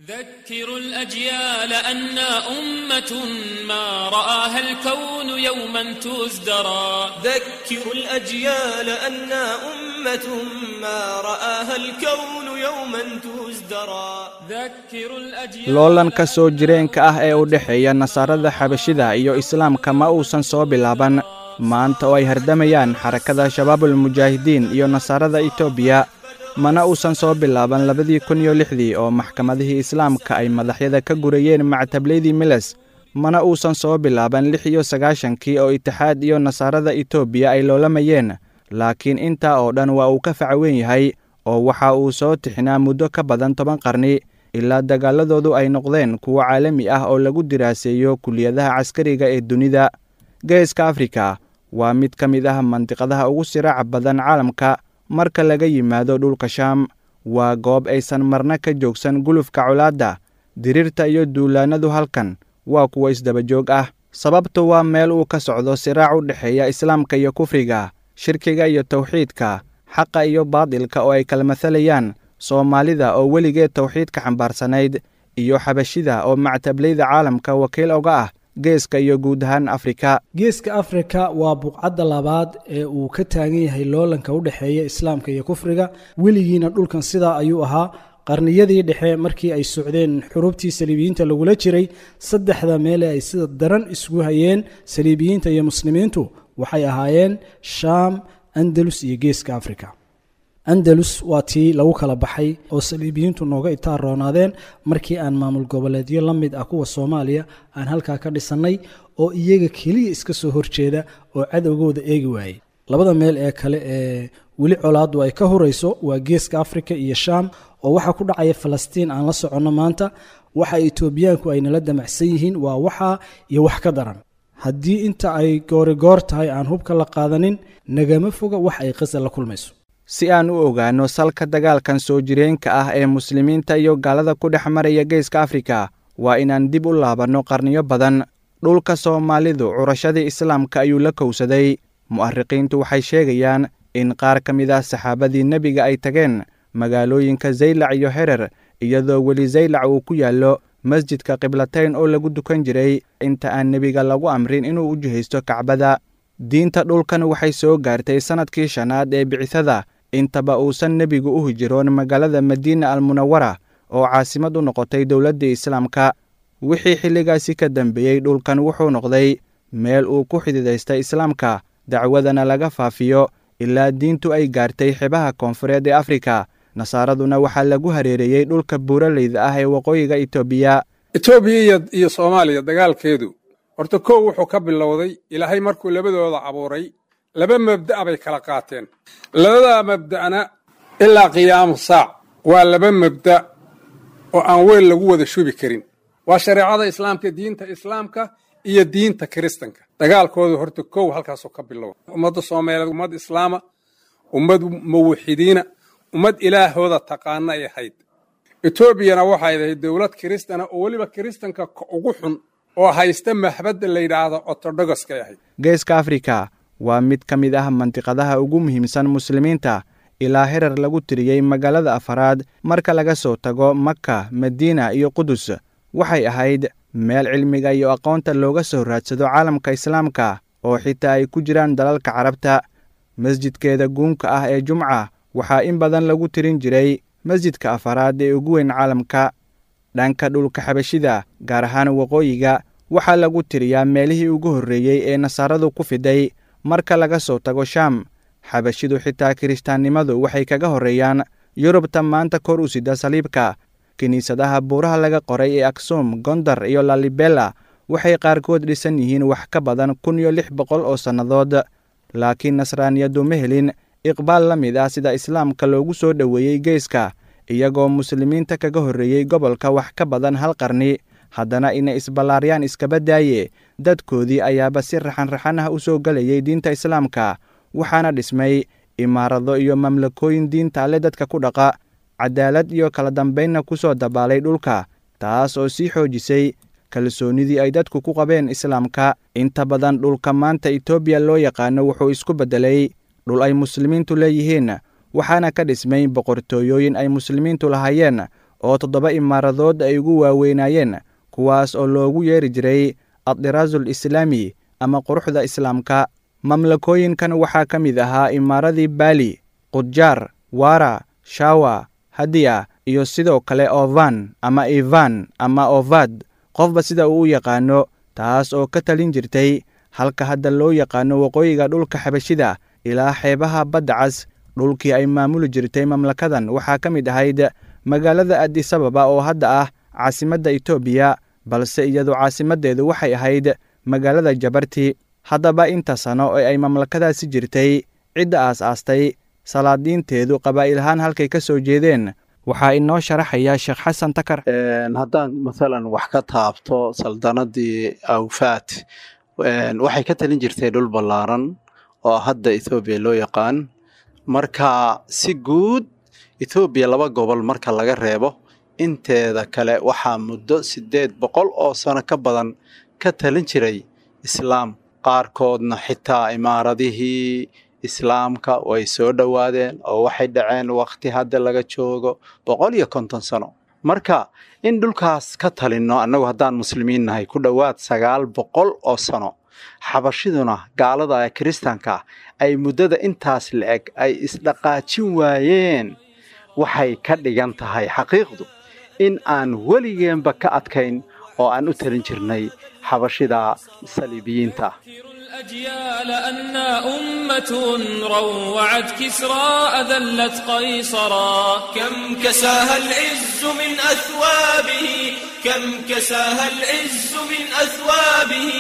ذكروا الأجيال أنا أمة ما رآها الكون يوما تزدرى. ذكروا الأجيال أنا أمة ما رآها الكون يوما تزدرى. ذكروا الأجيال. Loolanka soo jireenka ah ee u dhexeeya Nasaarada Xabashida iyo Islaamka ma uusan soo bilaaban maanta oo ay hardamayaan Xarakada Shabaabulmujaahidiin iyo Nasaarada Etoobiya, mana uusan soo bilaaban 2006dii oo maxkamadihii Islaamka ay madaxyada ka gurayeen mactableydii Miles, mana uusan soo bilaaban 96-kii oo Itixaad iyo Nasaarada Etoobiya ay loolamayeen. Laakiin intaa oo dhan waa uu ka faca weyn yahay, oo waxa uu soo tixnaa muddo ka badan 10 qarni, ilaa dagaaladoodu ay noqdeen kuwo caalami ah oo lagu diraaseeyo kuliyadaha caskariga ee dunida. Geeska Afrika waa mid ka mid ah mandiqadaha ugu siraaca badan caalamka marka laga yimaado dhulka Shaam. Waa goob aysan marna ka joogsan gulufka colaadda, diriirta iyo duulaanadu. Halkan waa kuwo isdabajoog ah, sababtu waa meel uu ka socdo siraac u dhexeeya Islaamka iyo kufriga, shirkiga iyo tawxiidka, xaqa iyo baadilka, oo ay kala mathalayaan Soomaalida oo weligeed tawxiidka xambaarsanayd iyo Xabashida oo mactableyda caalamka wakiil oga ah geeska iyo guud ahaan Afrika. Geeska Afrika waa buqcadda labaad ee uu ka taagan yahay loolanka u dhexeeya Islaamka iyo kufriga. Weligiina dhulkan sidaa ayuu ahaa. Qarniyadii dhexe, markii ay socdeen xurubtii saliibiyiinta lagula jiray, saddexda meele ay sida daran isugu hayeen saliibiyiinta iyo muslimiintu waxay ahaayeen Shaam, Andalus iyo Geeska Afrika. Andalus waa tii lagu kala baxay oo saliibiyiintu nooga itaaroonaadeen markii aan maamul goboleedyo la mid ah kuwa Soomaaliya aan halkaa ka dhisannay oo iyaga keliya iska soo horjeeda oo cadowgooda eegi waayey. Labada meel ee kale ee weli colaaddu ay ka hurayso waa Geeska Afrika iyo Shaam, oo waxaa ku dhacaya Falastiin aan la soconno maanta. Waxa Etoobiyaanku ay nala damacsan yihiin waa waxaa iyo wax ka daran. Haddii inta ay goorigoor tahay aan hubka la qaadanin, nagama foga wax ay Qasa la kulmayso. Si aan u ogaanno salka dagaalkan soo jireenka ah ee muslimiinta iyo gaalada ku dhex maraya Geeska Afrika, waa inaan dib u laabanno qarniyo badan. Dhulka Soomaalidu curashadii Islaamka ayuu la kowsaday. Mu'ariqiintu waxay sheegayaan in qaar ka mid ah saxaabadii nebiga ay tageen magaalooyinka Zaylac iyo Herer, iyadoo weli Zaylac uu ku yaallo masjidka Qiblatayn oo lagu dukan jiray inta aan nebiga lagu amrin inuu u jihaysto Kacbada. Diinta dhulkan waxay soo gaartay sannadkii shanaad ee bicithada, intaba uusan nebigu u hijiroon magaalada Madiina Almunawara oo caasimad u noqotay dowladdii Islaamka. Wixii xilligaasi ka dambeeyey, dhulkan wuxuu noqday meel uu ku xididaystay Islaamka, dacwadana laga faafiyo, ilaa diintu ay gaartay xebaha koonfureed ee Afrika. Nasaaraduna waxaa lagu hareereeyey dhulka buuraleyda ah ee waqooyiga Etoobiya. Etoobiya iyo Soomaaliya dagaalkeedu horta kow wuxuu ka bilowday Ilaahay markuu labadooda abuuray. Laba mabda'a bay kala qaateen. Labadaa mabda'na ilaa qiyaamu saac waa laba mabda' oo aan weel lagu wada shubi karin. Waa shareecada Islaamka, diinta Islaamka iyo diinta Kiristanka. Dagaalkoodu horta kow halkaasuu ka bilowday. Ummadda Soomaaliyeed ummad Islaama, ummad muwaxidiina, ummad Ilaahooda taqaana ay ahayd. Etoobiyana waxay ahayd dowlad Kiristana oo weliba Kiristanka ka ugu xun oo haysta maxbadda la yidhaahdo Ortodogoskay ahayd. Geeska Afrika waa mid ka mid ah mandiqadaha ugu muhiimsan muslimiinta, ilaa herar lagu tiriyey magaalada afaraad marka laga soo tago Maka, Madiina iyo Qudus. Waxay ahayd meel cilmiga iyo aqoonta looga soo raadsado caalamka Islaamka, oo xitaa ay ku jiraan dalalka Carabta. Masjidkeeda guunka ah ee Jumca waxaa in badan lagu tirin jiray masjidka afaraad ee ugu weyn caalamka. Dhanka dhulka Xabashida, gaar ahaan waqooyiga, waxaa lagu tiriyaa meelihii ugu horreeyey ee Nasaaradu ku fiday marka laga soo tago Shaam. Xabashidu xitaa Kirishtaannimadu waxay kaga horreeyaan Yurubta maanta kor u sida saliibka. Kiniisadaha buuraha laga qoray ee Aksum, Gondar iyo Lalibela waxay qaarkood dhisan yihiin wax ka badan 1600 oo sannadood, laakiin Nasraaniyadu ma helin iqbaal la mid ah sida Islaamka loogu soo dhoweeyey geeska. Iyagoo muslimiinta kaga horreeyey gobolka wax ka badan hal qarni, haddana inay isballaaryaan iskaba daaye, dadkoodii ayaaba si raxanraxan ah u soo gelayay diinta Islaamka, waxaana dhismay imaarado iyo mamlakooyin diinta Alle dadka ku dhaqa, cadaalad iyo kala dambaynna ku soo dabaalay dhulka, taas oo sii xoojisay kalsoonidii ay dadku ku qabeen Islaamka. Inta badan dhulka maanta Etoobiya loo yaqaano wuxuu isku beddelay dhul ay muslimiintu leeyihiin, waxaana ka dhismay boqortooyooyin ay muslimiintu lahaayeen oo 7 imaaradood ay ugu waaweynaayeen, kuwaas oo loogu yeeri jiray addiraazul islaami ama quruxda islaamka. Mamlakooyinkan waxaa ka mid ahaa imaaradii Baali, Qudjaar, Waara, Shawa, Hadiya iyo sidoo kale Ovan ama Ivan ama Ovad, qofba sida uu u yaqaano, taas oo ka talin jirtay halka hadda loo yaqaano waqooyiga dhulka Xabashida ilaa xeebaha Badda Cas. Dhulkii ay maamuli jirtay mamlakadan waxaa ka mid ahayd magaalada Addis Ababa oo hadda ah caasimadda Itoobiya, balse iyadu caasimaddeedu waxay ahayd magaalada Jabarti. Haddaba inta sano ee ay mamlakadaasi jirtay, cidda aas-aastay, salaadiinteedu qabaa'il ahaan halkay ka soo jeedeen, waxaa inoo sharaxaya Sheekh Xasan Takar. Haddaan masalan wax ka taabto saldanadii Awfaat, waxay ka talin jirtay dhul ballaaran oo hadda Ethoobiya loo yaqaan. Marka si guud Ethoobiya laba gobol marka laga reebo, inteeda kale waxaa muddo 800 oo sano ka badan ka talin jiray islaam. Qaarkoodna xitaa imaaradihii islaamka way soo dhowaadeen oo waxay dhaceen waqti hadda laga joogo 150 sano. Marka in dhulkaas ka talinno annagu haddaan muslimiin nahay ku dhowaad 900 oo sano, xabashiduna gaalada ee kiristaanka ay muddada intaas la-eg ay isdhaqaajin waayeen, waxay ka dhigan tahay xaqiiqdu in aan weligeenba ka adkayn oo aan u talin jirnay xabashida saliibiyiinta. الأجيال أنا أمة روعت كسرى أذلت قيصرا. كم كساها العز من أثوابه، كم كساها العز من أثوابه،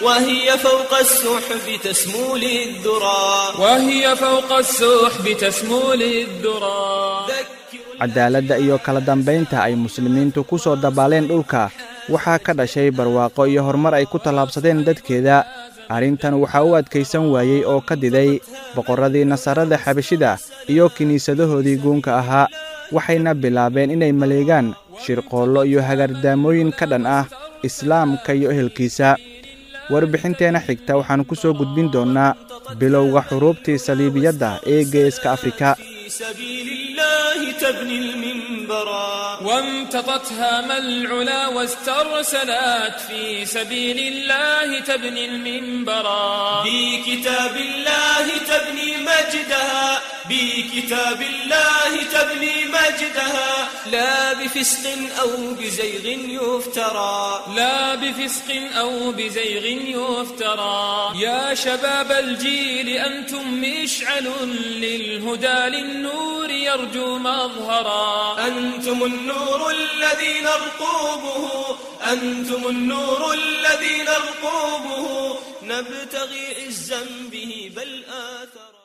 وهي فوق السحب تسمو للذرى، وهي فوق السحب تسمو للذرى. Cadaaladda iyo kala dambaynta ay muslimiintu ku soo dabaaleen dhulka waxaa ka dhashay barwaaqo iyo horumar ay ku tallaabsadeen dadkeeda. Arrintan waxaa u adkaysan waayey oo ka diday boqorradii nasaarada Xabashida iyo kiniisadahoodii guunka ahaa, waxayna bilaabeen inay maleegaan shirqoollo iyo hagardaamooyin ka dhan ah islaamka iyo ehelkiisa. Warbixinteenna xigta waxaan ku soo gudbin doonnaa bilowga xuruubtii saliibiyadda ee Geeska Afrika. في سبيل الله تبني المنبرا. وامتطتها ما العلا واسترسلت في سبيل الله تبني المنبرا. بكتاب الله تبني مجدها، بكتاب الله تبني مجدها، لا بفسق أو بزيغ يفترى، لا بفسق أو بزيغ يفترى. يا شباب الجيل أنتم مشعل للهدى للنور يرجو مظهرا. أنتم النور الذي نرقوبه، أنتم النور الذي نرقوبه، نبتغي عزا به بل آثرا.